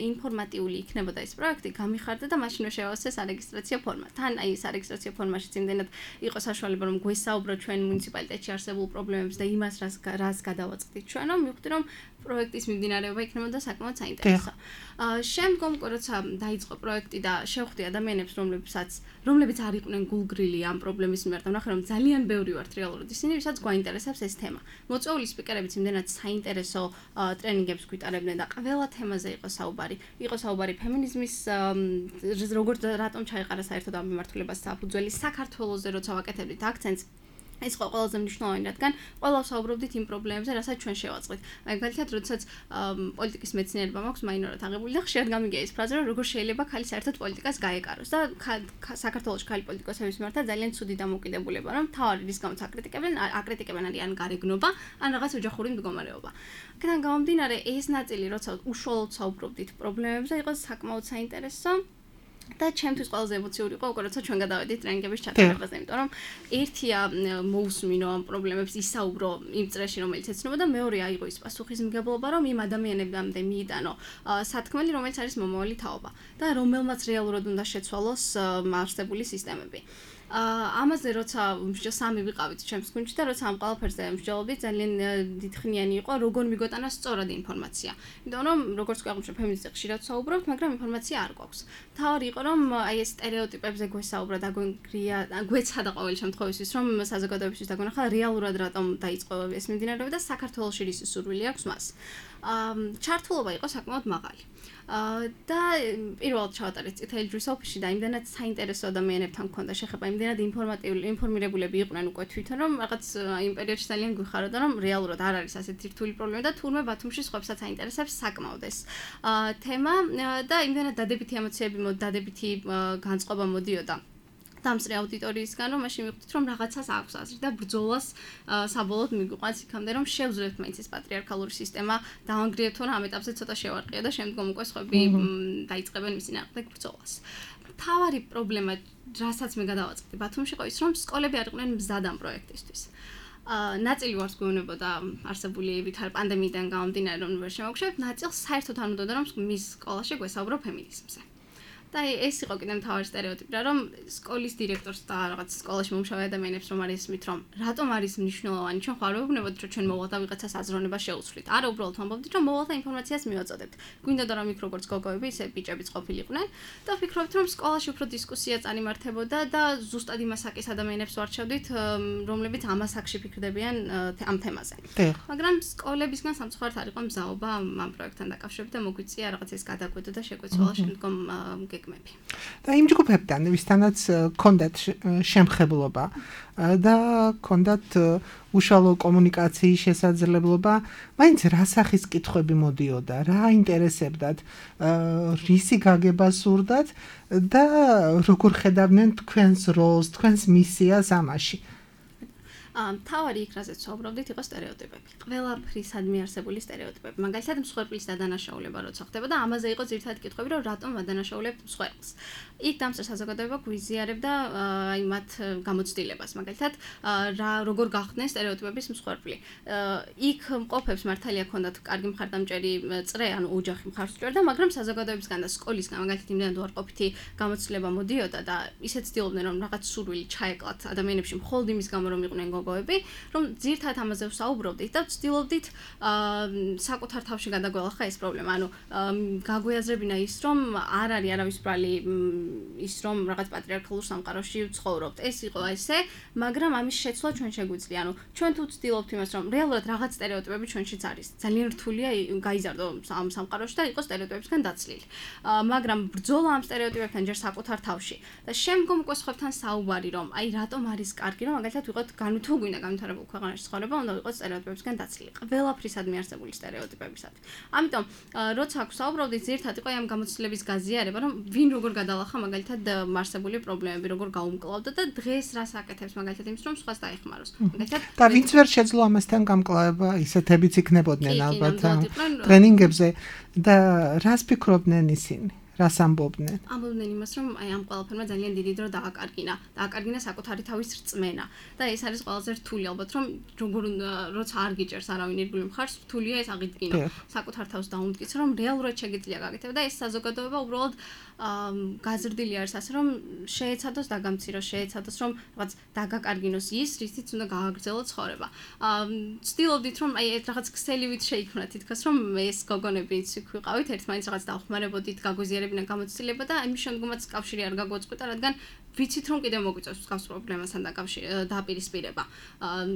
ინფორმატიული იქნებოდა ეს პროექტი, გამიხარდა და მაშინვე შევასწრე სარეგისტრაციო ფორმა. თან აი სარეგისტრაციო ფორმაში იმდენად იყო საშუალება რომ გვესაუბროთ ჩვენ მუნიციპალიტეტში არსებულ პრობლემებს და იმას რას გადავაწყდით ჩვენ, რომ მივხვდი რომ პროექტის მიმდინარეობა იქნებოდა საკმაოდ საინტერესო. შემდგომ როცა დაიწყო პროექტი და შევხვდი ადამიანებს, რომლებიც არ იყვნენ გულგრილი ამ პრობლემის მიმართ, ვნახე რომ ძალიან ბევრი ვართ რეალურად ისინი, ვისაც გვაინტერესებს ეს თემა. მოწვეული სპიკერებიც იმდენად საინტერესო ტრენინგებს გვიტარებდნენ და ყველა თემაზე იყო საუბარი. იყო საუბარი ფემინიზმის როგორც რატომ ჩაიყარა საერთოდ ამ მიმართულებას საფუძველი, საქართველოზე როცა ვაკეთებდით აქცენტს ეს იყო ყველაზე მნიშვნელოვანი, რადგან ყველა ვსაუბრობდით იმ პრობლემებზე, რასაც ჩვენ შევაწყდით. მაგალითად, როდესაც პოლიტიკის მეცნიერება მაქვს მაინორად აღებული და ხშირად გამიგია ეს ფრაზა, რომ როგორ შეიძლება ქალი საერთოდ პოლიტიკას გაეკაროს და საქართველოში ქალი პოლიტიკოსების მიმართ ძალიან ცუდი დამოკიდებულება, რომ თავი რის გამოც აკრიტიკებენ არიან გარეგნობა, ან რაღაც ოჯახური მდგომარეობა. აქედან გამომდინარე, ეს ნაწილი, როცა უშუალოდ საუბრობდით პრობლემებზე, იყო საკმაოდ საინტერესო. და ჩემთვის ყველაზე ემოციური იყო უკვე როცა ჩვენ გადავედით ტრენინგების ჩატარებაზე, იმიტომ რომ ერთია მოусმინო ამ პრობლემებს ისაუბრო იმ წრეში, რომელიც ეცნობა და მეორე აიღო ის პასუხისმგებლობა, რომ იმ ადამიანებამდე მიიტანო სათქმელი, რომელიც არის მომავალი თაობა და რომელმაც რეალურად უნდა შეცვალოს არსებული სისტემები. ამაზე როცა სამი ვიყავით ჩემს გუნდში და როცა ამ ყველაფერზე მსჯელობდით, ძალიან დიდხნიანი იყო როგორ მიგვეტანა სწორად ინფორმაცია. იმიტომ რომ როგორც გვაღვნიშნე ფემინისტი ხშირად საუბრობთ, მაგრამ ინფორმაცია არ გვაქვს. თავი იყო რომ აი ეს სტერეოტიპებზე გვესაუბრა და გვეცადა ყოველ შემთხვევაში რომ საზოგადოებისთვის დაგვენახა რეალურად რატომ დაიწყო ეს მიმდინარეობა და საქართველოში რის სურვილი აქვს მას. ჩართულობა იყო საკმაოდ მაღალი. და პირველად ჩავატარეთ წითელი ჯვრის ოფისში და იმდენად საინტერესო ადამიანებთან მქონდა შეხება, იმდენად ინფორმირებულები იყვნენ უკვე თვითონ, რომ რაღაც იმ პერიოდში ძალიან გვიხაროდა, რომ რეალურად არ არის ასეთი რთული პრობლემა და თურმე ბათუმში სხვებსაც აინტერესებს საკმაოდ ეს თემა და იმდენად დადებითი ემოციები, დადებითი განწყობა მოდიოდა დამსწრე აუდიტორიისგან, რომ მაშინ მივხვდით, რომ რაღაცას აქვს აზრი და ბრძოლას საბოლოოდ მიგვიყვანს იქამდე, რომ შევძლებთ მაინც ეს პატრიარქალური სისტემა დავანგრიებთ, თორემ ამ ეტაპზე ცოტა შევარყია და შემდგომ უკვე სხვები დაიწყებენ მის წინააღმდეგ ბრძოლას. თავარი პრობლემა, რასაც მე გადავაწყდი ბათუმში, იყო ის, რომ სკოლები არ იყვნენ მზად ამ პროექტისთვის. ნაწილი ვარს გვეუბნებოდა არსებული პანდემიიდან გამომდინარე, რომ ვერ შემოგშვებთ, ნაწილს საერთოდ არ უნდოდა, რომ მის სკოლაში გვესაუბრო ფემინიზმზე. და ეს იყო კიდე მთავარი სტერეოტიპი რა რომ სკოლის დირექტორს და რაღაც სკოლაში მომუშავე ადამიანებს რომ არის ისმით რომ რატომ არის მნიშვნელოვანი ჩვენ ხარ ვეუბნებოდით რომ ჩვენ მოვალ და ვიღაცას აზროვნება შეუცვლით არა უბრალოდ ვამბობდით რომ მოვალ და ინფორმაციას მივაწოდებთ გვინდა და რომ იქ როგორც გოგოები ისე ბიჭებიც ყოფილიყვნენ და ვფიქრობთ რომ სკოლაში უფრო დისკუსია წარიმართებოდა და ზუსტად იმას საკის ადამიანებს ვარჩევდით რომლებიც ამას აქში ფიქრდებიან ამ თემაზე მაგრამ სკოლებისგან სამწუხაროდ არ იყო მზაობა ამ პროექტთან დაკავშირებით და მოგვიწია რაღაც ეს გადაკვეთა და შეგვეცვალა შემდგომ გეგმები და იმ ჯგუფებთან ვისთანაც ქონდათ შემხებლობა და ქონდათ უშუალო კომუნიკაციის შესაძლებლობა მაინც რა სახის კითხვები მოდიოდა რა აინტერესებდათ რისი გაგება სურდათ და როგორ ხედავდნენ თქვენს როლს თქვენს მისიას ამაში თავარი იქრაზეც ვსაუბრობდით იყო სტერეოტიპები. ყველაფრისადმი არსებული სტერეოტიპები. მაგალითად მსხვერპლის დადანაშაულება როცა ხდება და ამაზე იყო ძირითადად კითხვები, რომ რატომ ვადანაშაულებთ მსხვერპლს. იქ დამსწრე საზოგადოება გვიზიარებდა აი მათ გამოცდილებას. მაგალითად, როგორ გახდნენ სტერეოტიპების მსხვერპლი. იქ მყოფებს მართალია ქონდათ კარგი მხარდამჭერი წრე, ანუ ოჯახი მხარს უჭერდა, მაგრამ საზოგადოებისგან და სკოლისგან მაგალითად იმდენად უარყოფითი გამოცდილება მოდიოდა და ისეთ ცდილობდნენ რომ რაღაც სურვილი ჩაეკლათ ადამიანებში მხოლოდ იმის გამო რომ იყვნენ რომ ძირთად ამაზე ვსაუბრობდით და ვცდილობდით საკუთარ თავში გადაგველახა ეს პრობლემა. ანუ გაგვიაზრებინა ის რომ არ არის არავის ბრალი ის რომ რაღაც პატრიარქალურ სამყაროში ვცხოვრობთ. ეს იყო ესე, მაგრამ ამის შეცვლა ჩვენ შეგვიძლია. ანუ ჩვენ თუ ვცდილობთ იმას რომ რეალურად რაღაც სტერეოტიპები ჩვენშიც არის. ძალიან რთულია გაიზარდო ამ სამყაროში და იყოს სტერეოტიპებისგან დაცლილი. მაგრამ ბრძოლა ამ სტერეოტიპებთან ჯერ საკუთარ თავში და შემდგომ უკვე სხვებთან საუბარი რომ აი რატომ არის კარგი რომ მაგალითად ვიყოთ თუ გვინდა განვითარებულ ქვეყანაში ცხოვრება, უნდა ვიყოთ სტერეოტიპებისგან დაცლილი. ყველაფრისადმი არსებული სტერეოტიპებისადმი. ამიტომ როცა აქ ვსაუბრობდით, ძირთად იყო ამ გამოცდილების გაზიარება, რომ ვინ როგორ გადალახა მაგალითად არსებული პრობლემები, როგორ გაუმკლავდა და დღეს რას აკეთებს მაგალითად იმის, რომ სხვას დაეხმაროს. მაგალითად და ვინც ვერ შეძლო ამასთან გამკლავება, ისეთებიც იქნებოდნენ ალბათ ტრენინგებზე და რას ფიქრობდნენ ისინი? რას ამბობდნენ? ამბობდნენ იმას, რომ აი ამ ყველაფერმა ძალიან დიდი დრო დააკარგინა საკუთარი თავის რწმენა. და ეს არის ყველაზე რთული ალბათ, რომ როცა არ გიჭერს არავინ ირგვლივ მხარს, რთულია ეს აღიდგინო. საკუთარ თავს დაუმტკიცო, რომ რეალურად შეგიძლია გაკეთებ და ეს საზოგადოება უბრალოდ გაზრდილი არის ასე, რომ შეეცადოს დაგამციროს, შეეცადოს რომ რაღაც დაგაკარგინოს ის, რითიც უნდა გააგრძელოს ცხოვრება. ვცდილობდით რომ აი ეს რაღაც ქსელივით შეიქმნა თითქოს, რომ ეს გოგონებიც ვიყავით, ერთმანეთს რაღაც დავხმარებოდით, გაგვიზიარებინა გამოცდილება და ამის შემდგომაც კავშირი არ გაგვაწყვეტა, რადგან ვიცით რომ კიდევ მოგვიწევს მსგავს პრობლემასთან დაპირისპირება.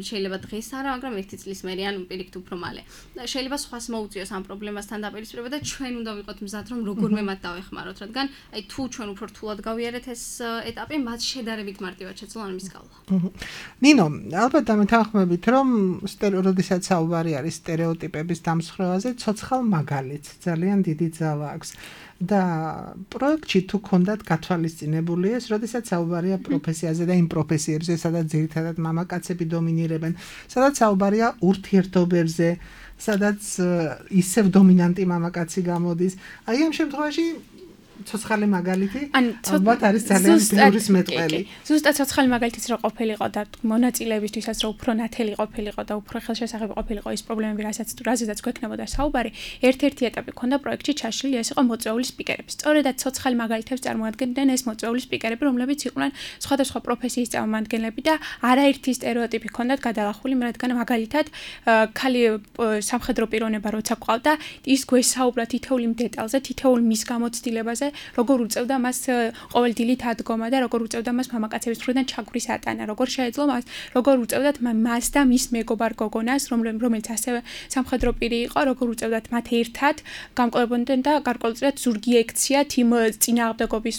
შეიძლება დღეს არა, მაგრამ 1 წლის მერე ან პირიქით უფრო მალე. შეიძლება სხვას მოუწიოს ამ პრობლემასთან დაპირისპირება და ჩვენ უნდა ვიყოთ მზად რომ როგორმე მათ დავეხმაროთ, რადგან აი თუ ჩვენ უფრო რთულად გავიარეთ ეს ეტაპი, მათ შედარებით მარტივად შეძლო ამის გავლა. ნინო, ალბათ დამეთანხმებით რომ როდესაც საუბარი არის სტერეოტიპების დამსხვრევაზე, ცოცხალ მაგალითს ძალიან დიდი ძალა აქვს. და პროექტში თუ ქონდათ გათვალისწინებული ეს, როდესაც საუბარია პროფესიაზე და იმ პროფესიებზე, სადაც ძირითადად მამაკაცები დომინირებენ, სადაც საუბარია ურთიერთობებზე, სადაც ისევ დომინანტი მამაკაცი გამოდის. აი ამ შემთხვევაში ცოცხალი მაგალითი ალბათ არის ძალიან ბევრის მეტყველი. ზუსტად ცოცხალი მაგალითიც რო ყოფილიყო და მონაწილეებისთვისაც რო უფრო ნათელი ყოფილიყო და უფრო ხელშესახები ყოფილიყო ის პრობლემები, რაზეც გვექნებოდა საუბარი, ერთ-ერთი ეტაპი ქონდა პროექტში ჩაშლილი, ეს იყო მოწვეული სპიკერები. სწორედაც ცოცხალი მაგალითებს წარმოადგენდნენ ეს მოწვეული სპიკერები, რომლებიც იყვნენ სხვადასხვა პროფესიის წარმომადგენლები და არაერთი სტერეოტიპი ქონდათ გადალახული, რადგან მაგალითად ქალი სამხედრო პიროვნება როცა ყავდა, ის გვესაუბრა თითოეულ იმ დეტალზე, თითოეულ მის გამოცდილებაზე, როგორ უწევდა მას ყოველდილით ადგომა და როგორ უწევდა მას მამაკაცების მხრიდან ჩაგვრის ატანა, როგორ შეეძლო მას, როგორ უწევდათ მას და მის მეგობარ გოგონას, რომელიც ასევე სამხედრო პირი იყო, როგორ უწევდათ მათ ერთად გამკლავდნენ და გარკვეულწილად ზურგი ექციათ იმ წინააღმდეგობის,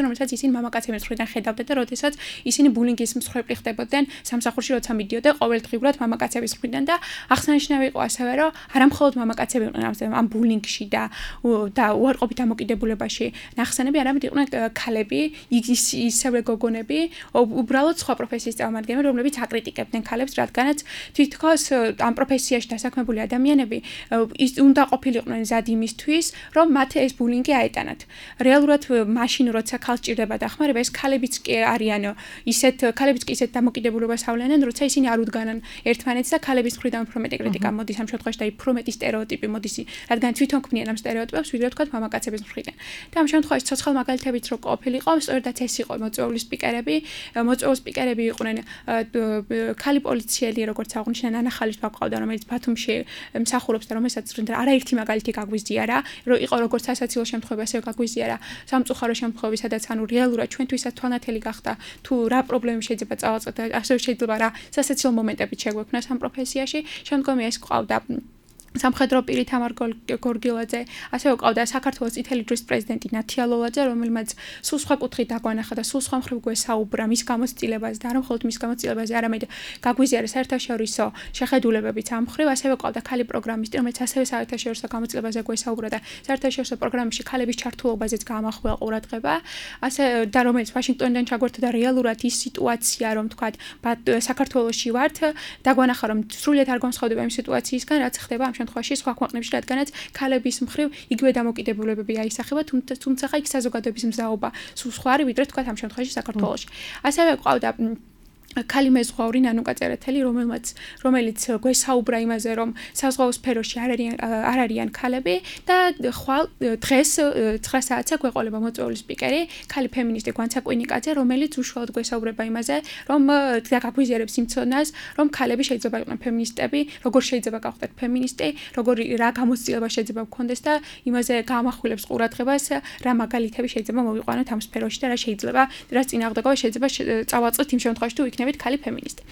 რომელსაც ისინი მამაკაცების მხრიდან ხედავდნენ და როდესაც ისინი ბულინგის მსხვერპლი ხდებოდნენ სამსახურში, როცა მიდიოდა ყოველდღიურად მამაკაცების მხრიდან და აღსანიშნავი იყო ასევე, რომ არა მხოლოდ მამაკაცები იყვნენ ამ ბულინგში და უარყოფით დამოკიდებულებაში ნახსენები, არამედ იყვნენ ქალები, ისევე გოგონები, უბრალოდ სხვა პროფესიის წარმომადგენლები, რომლებიც აკრიტიკებდნენ ქალებს, რადგანაც თითქოს ამ პროფესიაში დასაქმებული ადამიანები უნდა ყოფილიყვნენ მზად იმისთვის, რომ მათ ეს ბულინგი აეტანათ. რეალურად მაშინ როცა ქალს ჭირდება დახმარება, ეს ქალებიც კი არიან ქალებიც კი ისეთ დამოკიდებულებას ავლენენ, როცა ისინი არ უდგანან ერთმანეთს და ქალების მხრიდან უფრო მეტი კრიტიკა მოდის ამ შემთხვევაში და უფრო მეტი სტერეოტიპი მოდის, რადგან თვითონ ქმნიან ამ სტერეოტიპებს, ვიდრე თქვათ მამაკაცების მხრიდან. და ამ შემთხვევაში ცოცხალ მაგალითებიც რო ყოფილიყო, სწორედაც ეს იყო მოწვეული სპიკერები. მოწვეულ სპიკერები იყვნენ ქალი პოლიციელი, როგორც აღნიშნა ნანა ხალიფა ყავდა, რომელიც ბათუმში მსახურობს და რომელსაც არაერთი მაგალითი გაგვიზიარა, რომ იყო როგორც სასაცილო შემთხვევა, ასევე გაგვიზიარა სამწუხარო შემთხვევები, სადაც ანუ რეალურად ჩვენთვისაც თვალნათელი გახდა თუ რა პრობლემები შეიძლება წავაწყოთ და ასევე შეიძლება რა სასაცილო მომენტები შეგვექმნას ამ პროფესიაში. შემდგომი ეს ყავდა სამხედრო პირი თამარ გორგილაძე, ასევე ყავდა საქართველოს წითელი ჯვრის პრეზიდენტი ნათია ლოლაძე, რომელმაც სულ სხვა კუთხით დაგვანახა და სულ სხვა მხრივ გვესაუბრა მის გამოცდილებაზე და არა მხოლოდ მის გამოცდილებაზე, არამედ გაგვიზიარა საერთაშორისო შეხედულებებიც ამ მხრივ, ასევე ყავდა ქალი პროგრამისტი, რომელიც ასევე საერთაშორისო გამოცდილებაზე გვესაუბრა და საერთაშორისო პროგრამებში ქალების ჩართულობაზეც გაამახვილა ყურადღება, ასე და რომელიც ვაშინგტონიდან ჩაგვერთდა და რეალურად ის სიტუაცია, რომ თქვა საქართველოში ვართ, დაგვანახა რომ სრულიად არ განსხვავდება იმ სიტუაციისგან, რაც ხდება ამ შემთხვევაში სხვა ქვეყნებში, რადგანაც ქალების მხრივ იგივე დამოკიდებულებები აისახება, თუმცა იქ საზოგადოების მზაობა სულ სხვა არის, ვიდრე თქვა ამ შემთხვევაში საქართველოში. ასევე ყავდა ქალი მეზღვაური ნანუკა წერეთელი, რომელიც გვესაუბრა იმაზე, რომ საზღვაო სფეროში არ არიან ქალები და ხვალ დღეს 9 საათზე გვეყოლება მოწვეული სპიკერი, ქალი ფემინისტი გვანცა კვინიკაძე, რომელიც უშუალოდ გვესაუბრება იმაზე, რომ გაგვიზიარებს იმ ცოდნას, რომ ქალები შეიძლება იყვნენ ფემინისტები, როგორ შეიძლება გავხდეთ ფემინისტი, რა გამოცდილება შეიძლება გქონდეს და იმაზე გაამახვილებს ყურადღებას, რა მაგალითები შეიძლება მოვიყვანოთ ამ სფეროში და რა შეიძლება, რა წინააღმდეგობა შეიძლება წავაწყოთ იმ შემთხვევაში თუ იქნებით ქალი ფემინისტი.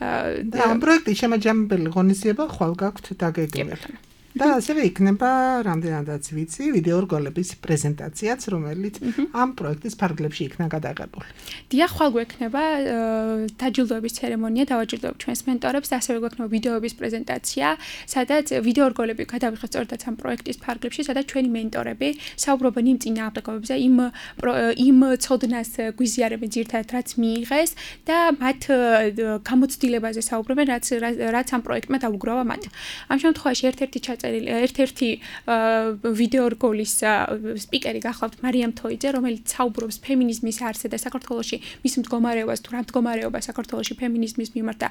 ამ პროექტის შემაჯამებელი ღონისძიება ხვალ გაქვთ დაგეგმილი. და ასევე იქნება რამდენადაც ვიცი ვიდეორგოლების პრეზენტაციაც, რომელიც ამ პროექტის ფარგლებში იქნა გადაღებული. დიახ, ხვალ გვექნება დაჯილდოების ცერემონია, დავაჯილდოებ ჩვენს მენტორებს და ასევე გვექნება ვიდეოების პრეზენტაცია, სადაც ვიდეორგოლები გადავიხეთ სწორედ ამ პროექტის ფარგლებში, სადაც ჩვენი მენტორები საუბრობენ იმ წინააღმდეგობებზე, იმ ცოდნას გვიზიარებენ ძირთადად, რაც მიიღეს და მათ გამოცდილებაზე საუბრობენ, რაც ამ პროექტმა დაუგროვა მათ. ამ შემთხვევაში ერთ-ერთი ვიდეორგოლის სპიკერი გახლავთ მარიამ თოიძე, რომელიც საუბრობს ფემინიზმის არსზე და საქართველოში მის მდგომარეობას თუ რა მდგომარეობა საქართველოში ფემინიზმის მიმართ და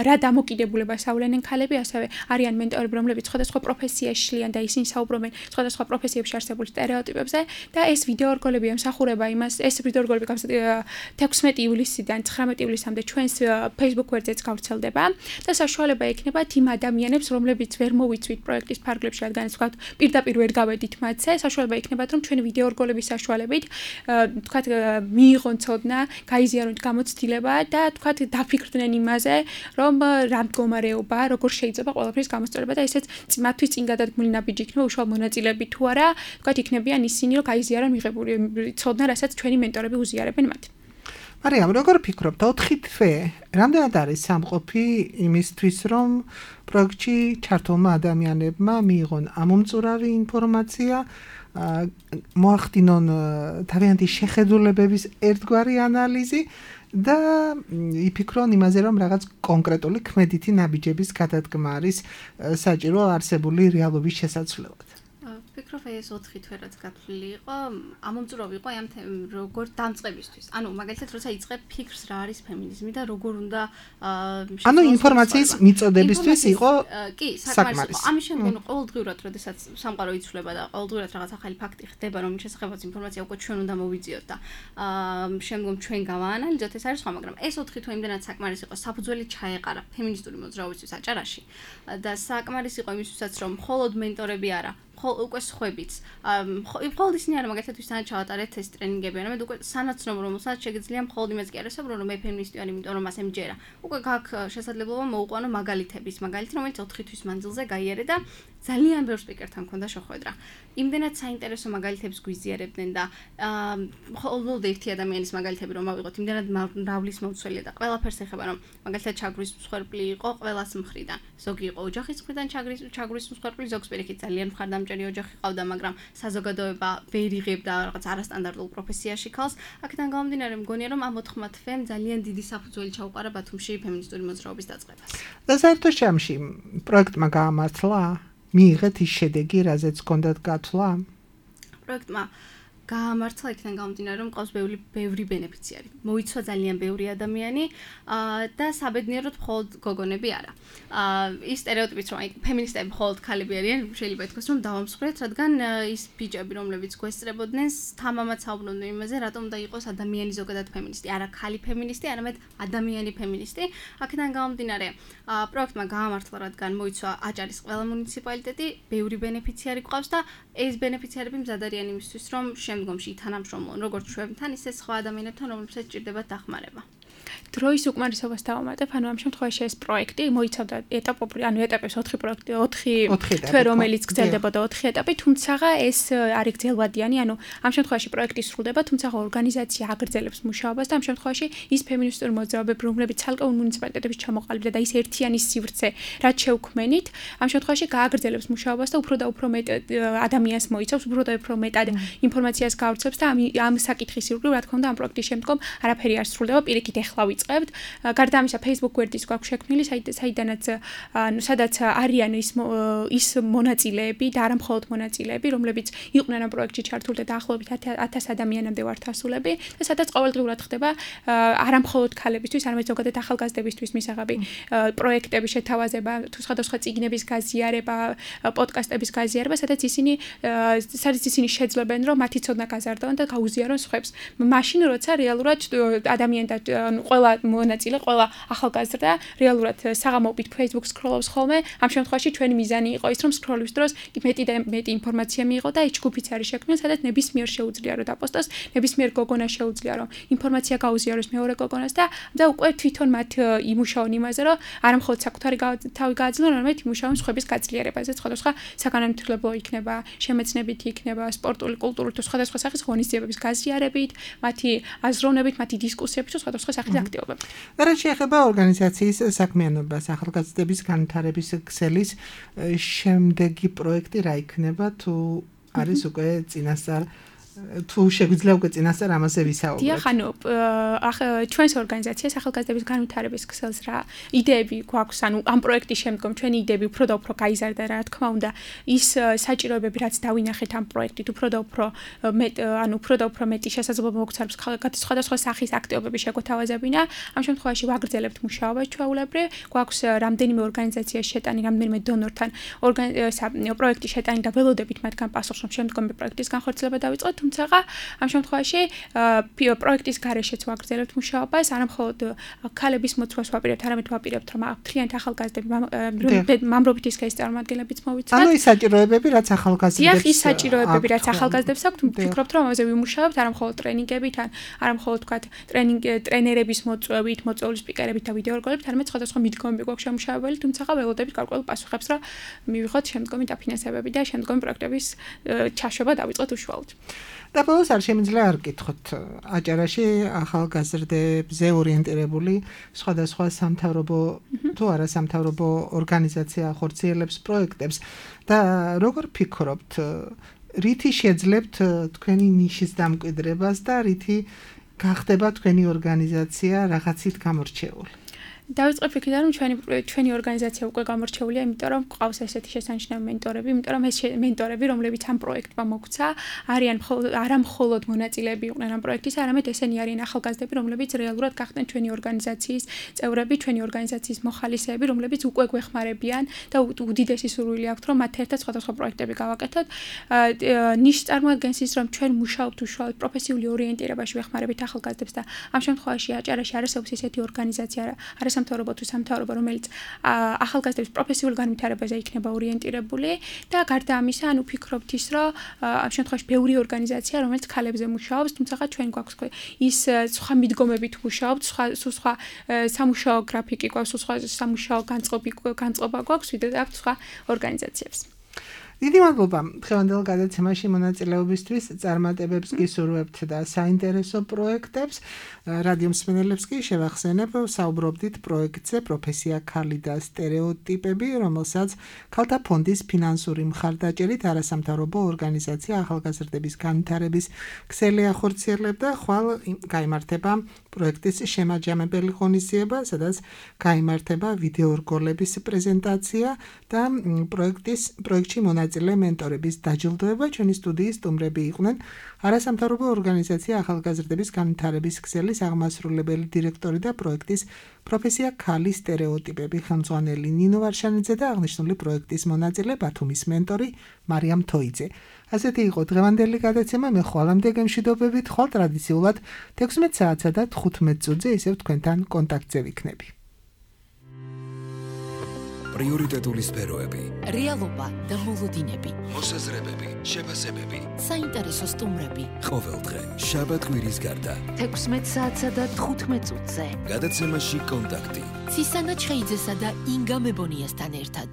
რა დამოკიდებულებას ავლენენ ქალები, ასევე არიან მენტორები, რომლებიც სხვადასხვა პროფესიაში შლიან და ისინი საუბრობენ სხვადასხვა პროფესიებში არსებულ სტერეოტიპებზე და ეს ვიდეორგოლები ემსახურება იმას, ეს ვიდეორგოლები 16 ივლისიდან 19 ივლისამდე ჩვენს Facebook ვერძეც გავრცელდება და საშუალება ექნება იმ ადამიანებს, რომლებიც ვერ მოვიცვით პროექტის ფარგლებში, რადგან თქვათ პირდაპირ ვერ გავედით მათზე, საშუალება იქნებათ, რომ ჩვენი ვიდეორგოლების საშუალებით თქვათ მიიღონ ცოდნა, გაიზიარონ გამოცდილება და თქვათ დაფიქრდნენ იმაზე, რომ რა მდგომარეობა, როგორ შეიძლება ყველაფრის გამოსწორება და ესეც მათთვის წინ გადადგმული ნაბიჯი იქნება უშუალო მონაწილეები თუ არა, თქვათ იქნებიან ისინი, რომ გაიზიარონ მიღებული ცოდნა, რასაც ჩვენი მენტორები უზიარებენ მათ. მარიამ, როგორ ფიქრობთ, 4 თვე რამდენად არის სამყოფი იმისთვის, რომ პროექტში ჩართულმა ადამიანებმა მიიღონ ამომწურავი ინფორმაცია, მოახდინონ თავიანთი შეხედულებების ერთგვარი ანალიზი და იფიქრონ იმაზე, რომ რაღაც კონკრეტული ქმედითი ნაბიჯების გადადგმა არის საჭირო არსებული რეალობის შესაცვლელად. ვფიქრობ, ეს 4 თვე რაც გათვლილი იყო, ამომწურავი იყო ამ როგორ დამწყებისთვის. ანუ მაგალითად, როცა იწყებ ფიქრს რა არის ფემინიზმი და როგორ უნდა ანუ ინფორმაციის მიწოდებისთვის იყო კი, საკმარისი. ამის შემდგომ ყოველდღიურად, როდესაც სამყარო იცვლება და ყოველდღიურად რაღაც ახალი ფაქტი ხდება, რომ შესახებაც ინფორმაცია უკვე ჩვენ უნდა მოვიძიოთ და შემდგომ ჩვენ გავაანალიზოთ, ეს არის სხვა, მაგრამ ეს 4 თვე იმდენად საკმარისი იყო, საფუძველი ჩაეყარა ფემინისტური მოძრაობისთვის აჭარაში და საკმარისი იყო იმისთვისაც, რომ მხოლოდ მენტორები არა უკვე სხვებიც. მხოლოდ ისინი არა, მაგალითად ვისთანაც ჩავატარეთ ეს ტრენინგები, არამედ უკვე სანაცნობო, რომელსაც შეგიძლია მხოლოდ იმას კი არ ესაუბრო, რომ მე ფემინისტი ვარ, იმიტომ რომ ასე მჯერა. უკვე გაქვს შესაძლებლობა მოუყვანო მაგალითების, რომელიც 4 თვის მანძილზე გაიარე და ძალიან ბევრ სპიკერთან მქონდა შეხვედრა. იმდენად საინტერესო მაგალითებს გვიზიარებდნენ და მხოლოდ ერთი ადამიანის მაგალითები რომ ავიღოთ, იმდენად მრავლის მოცველია და ყველაფერს ეხება, რომ მაგალითად ჩაგვრის მსხვერპლი იყო ყველას მხრიდან. ზოგი იყო ოჯახის მხრიდან ჩაგვრის მსხვერპლი, ზოგს პირიქით ძალიან მხარდამჭერი ოჯახი ყავდა, მაგრამ საზოგადოება ვერ იღებდა რაღაც არასტანდარტულ პროფესიაში ქალს. აქედან გამომდინარე, მგონია რომ ამ 4 თვემ ძალიან დიდი საფუძველი ჩაუყარა ბათუმში ფემინისტური მოძრაობის დაწყებას. და საერთოდ შემში პროექტმა გაამართლა, მიიღეთ ის შედეგი, რაზეც ჰქონდათ გათვლა? პროექტმა გაამართლა იქიდან გამომდინარე, რომ ყავს ბევრი ბენეფიციარი. მოიცვა ძალიან ბევრი ადამიანი და საბედნიეროდ მხოლოდ გოგონები არა. ის სტერეოტიპიც რომ აი ფემინისტები მხოლოდ ქალები არიან, შეიძლება ითქვას რომ დავამსხვრეთ, რადგან ის ბიჭები, რომლებიც გვესწრებოდნენ, თამამად საუბრობდნენ იმაზე, რატომ უნდა იყოს ადამიანი ზოგადად ფემინისტი, არა ქალი ფემინისტი, არამედ ადამიანი ფემინისტი. აქედან გამომდინარე, პროექტმა გაამართლა, რადგან მოიცვა აჭარის ყველა მუნიციპალიტეტი, ბევრი ბენეფიციარი გვყავს და ეს ბენეფიციარები მზად არიან იმისთვის, რომ შემდგომში თანამშრომლონ როგორც ჩვენთან, ისე სხვა ადამიანებთან, რომლებსაც ჭირდებათ დახმარება. დროის უკმარისობას დავამატებ, ანუ ამ შემთხვევაში ეს პროექტი მოიცავდა ეტაპებს 4 პროექტი, 4 თვე, რომელიც გრძელდებოდა 4 ეტაპი, თუმცა ეს არის გრძელვადიანი, ანუ ამ შემთხვევაში პროექტი სრულდება, თუმცა ორგანიზაცია აგრძელებს მუშაობას და ამ შემთხვევაში ის ფემინისტური მოძრაობები, რომლებიც ცალკეულ მუნიციპალიტეტების ჩამოყალიბდა და ის ერთიანი სივრცე, რაც შევქმენით, ამ შემთხვევაში გააგრძელებს მუშაობას და უფრო და უფრო მეტ ადამიანს მოიცავს, უფრო და უფრო მეტად ინფორმაციას გავრცელებს და ამ საკითხის ირგვლივ, რა თქმა უნდა, ამ პროექტის შემდგომ არაფერი არ სრულდება, პირიქით ეხლა ვიწყებთ. გარდა ამისა, Facebook გვერდის გვაქვს შექმნილი, სადაც არიან ის მონაწილეები და არა მხოლოდ მონაწილეები, რომლებიც იყვნენ ამ პროექტში ჩართული და დაახლოებით 1000 ადამიანამდე ვართ ასულები და სადაც ყოველდღიურად ხდება არა მხოლოდ ქალებისთვის, არამედ ზოგადად ახალგაზრდებისთვის მისაღები პროექტების შეთავაზება, თუ სხვადასხვა წიგნების გაზიარება, პოდკასტების გაზიარება, სადაც ისინი შეძლებენ, რომ მათი ცოდნა გაზარდონ და გაუზიარონ სხვებს. მაშინ, როცა რეალურად ადამიანთა ყველა მონაწილე, ყველა ახალგაზრდა რეალურად საღამოობით Facebook scroll-ობს ხოლმე. ამ შემთხვევაში ჩვენი მიზანი იყო ის, რომ scroll-ის დროს მეტი და მეტი ინფორმაცია მიიღო და ეს ჯგუფიც არის შექმნილი, სადაც ნებისმიერ შეუძლია რომ დაპოსტოს, ნებისმიერ გოგონას შეუძლია რომ ინფორმაცია გაუზიაროს მეორე გოგონას და უკვე თვითონ მათ იმუშაონ იმაზე, რომ არა მხოლოდ საკუთარი თავი გააძლიერონ, არამედ იმუშაონ სხვების გაძლიერებაზე, სხვადასხვა საგანმანათლებლო იქნება, შემეცნებითი იქნება, სპორტული, კულტურული თუ სხვადასხვა სახის ღონისძიებების გაზიარებით, მათი აზროვნებით, მათი დისკუსიებით თუ სხვადასხვა სახის აქტივობებით. და რაც შეეხება ორგანიზაციის საქმიანობას, ახალგაზრდების განვითარების ქსელის შემდეგი პროექტი რა იქნება, თუ არის უკვე წინასწარ თუ შეგვიძლია უკვე წინასწარ ამაზე ვისაუბროთ. დიახ, ანუ ჩვენს ორგანიზაციას ახალგაზრდების განვითარების ქსელს რა იდეები გვაქვს, ანუ ამ პროექტის შემდგომ ჩვენი იდეები უფრო და უფრო გაიზარდა, რა თქმა უნდა, ის საჭიროებები, რაც დავინახეთ ამ პროექტით, უფრო და უფრო მეტი შესაძლებლობა მოგცემს სხვადასხვა სახის აქტივობების შეგვეთავაზებინა. ამ შემთხვევაში ვაგრძელებთ მუშაობას ჩვეულებრივ, გვაქვს რამდენიმე ორგანიზაციის შეტანი, რამდენიმე დონორთან პროექტის შეტანი და ველოდებით მათგან პასუხს, რომ შემდგომი პროექტის განხორციელება დავიწყოთ. თუმცა ამ შემთხვევაში პროექტის გარეშეც ვაგრძელებთ მუშაობას, არა მხოლოდ ქალების მოწვევას ვაპირებთ, არამედ ვაპირებთ, რომ მთლიანად ახალგაზრდები მამრობითი სქესის წარმომადგენლებიც მოვიცავთ. ანუ ის საჭიროებები, რაც ახალგაზრდებს დიახ, ის საჭიროებები, რაც ახალგაზრდებს აქვთ, ვფიქრობთ, რომ ამაზე ვიმუშავებთ, არა მხოლოდ ტრენინგებით, არა მხოლოდ თქვათ ტრენერების მოწვევით, მოწვეული სპიკერებით და ვიდეორგოლებით, არამედ სხვადასხვა მიდგომები გვაქვს შემუშავებელი, თუმცა ველოდებით გარკვეულ პასუხებს, რომ მივიღოთ შემდგომი დაფინანსებები და შემდგომი პროექტების ჩაშვება დავიწყოთ უშუალოდ. და ბოლოს არ შემიძლია არ გკითხოთ, აჭარაში ახალგაზრდებზე ორიენტირებული სხვადასხვა სამთავრობო თუ არასამთავრობო ორგანიზაცია ხორციელებს პროექტებს და როგორ ფიქრობთ, რითი შეძლებთ თქვენი ნიშის დამკვიდრებას და რითი გახდება თქვენი ორგანიზაცია რაღაცით გამორჩეული? დავიწყებ იქიდან, რომ ჩვენი ორგანიზაცია უკვე გამორჩეულია, იმიტომ რომ ყავს ესეთი შესანიშნავი მენტორები, იმიტომ რომ ეს მენტორები, რომლებიც ამ პროექტმა მოგვცა, არიან არა მხოლოდ მონაწილეები იყვნენ ამ პროექტის, არამედ ესენი არიან ახალგაზრდები, რომლებიც რეალურად გახდნენ ჩვენი ორგანიზაციის წევრები, ჩვენი ორგანიზაციის მოხალისეები, რომლებიც უკვე გვეხმარებიან და უდიდესი სურვილი აქვთ, რომ მათ ერთად სხვადასხვა პროექტები გავაკეთოთ. ნიშს წარმოადგენს ის, რომ ჩვენ მუშაობთ უშუალოდ პროფესიული ორიენტირებაში ვეხმარებით ახალგაზრდებს და ამ შემთხვევაში აჭარაში არსებობს ესეთი ორგანიზაცია, სამთავრობო თუ სამთავრობო, რომელიც ახალგაზრდების პროფესიულ განვითარებაზე იქნება ორიენტირებული და გარდა ამისა, ანუ ვფიქრობთ ის, რომ ამ შემთხვევაში ბევრი ორგანიზაცია, რომელიც ქალებზე მუშაობს, თუმცა ჩვენ გვაქვს ის სხვა მიდგომებით მუშაობთ, სხვა სამუშაო გრაფიკი გვაქვს, სხვა სამუშაო განწყობა გვაქვს, ვიდრე აქვს სხვა ორგანიზაციებს. დიდი მადლობა დღევანდელ გადაცემაში მონაწილეობისთვის, წარმატებებს გისურვებთ და საინტერესო პროექტებს. რადიო მსმენელებს კი შევახსენებ, საუბრობდით პროექტზე პროფესია ქალი და სტერეოტიპები, რომელსაც ქალთა ფონდის ფინანსური მხარდაჭერით არასამთავრობო ორგანიზაცია ახალგაზრდების განვითარების ქსელი ახორციელებდა. ხვალ გაიმართება პროექტის შემაჯამებელი ღონისძიება, სადაც გაიმართება ვიდეორგოლების პრეზენტაცია და პროექტში მონაწილე მენტორების დაჯილდოება. ჩვენი სტუდიის სტუმრები იყვნენ არასამთავრობო ორგანიზაცია ახალგაზრდების განვითარების ქსელის აღმასრულებელი დირექტორი და პროექტის პროფესია ქალი სტერეოტიპები ხელმძღვანელი ნინო ვარშანიძე და აღნიშნული პროექტის მონაწილე ბათუმის მენტორი მარიამ თოიძე. ასეთი იყო დღევანდელი გადაცემა. მე ხვალამდე გემშვიდობებით, ხვალ ტრადიციულად 16 საათსა და 15 წუთზე ისევ თქვენთან კონტაქტზე ვიქნები. პრიორიტეტული სფეროები, რეალობა და მოლოდინები, მოსაზრებები, შეფასებები, საინტერესო სტუმრები. ყოველდღე, შაბათ-კვირის გარდა. 16 საათსა და 15 წუთზე. გადაცემაში კონტაქტი. ცისანა ჩხეიძესა და ინგა მებონიასთან ერთად.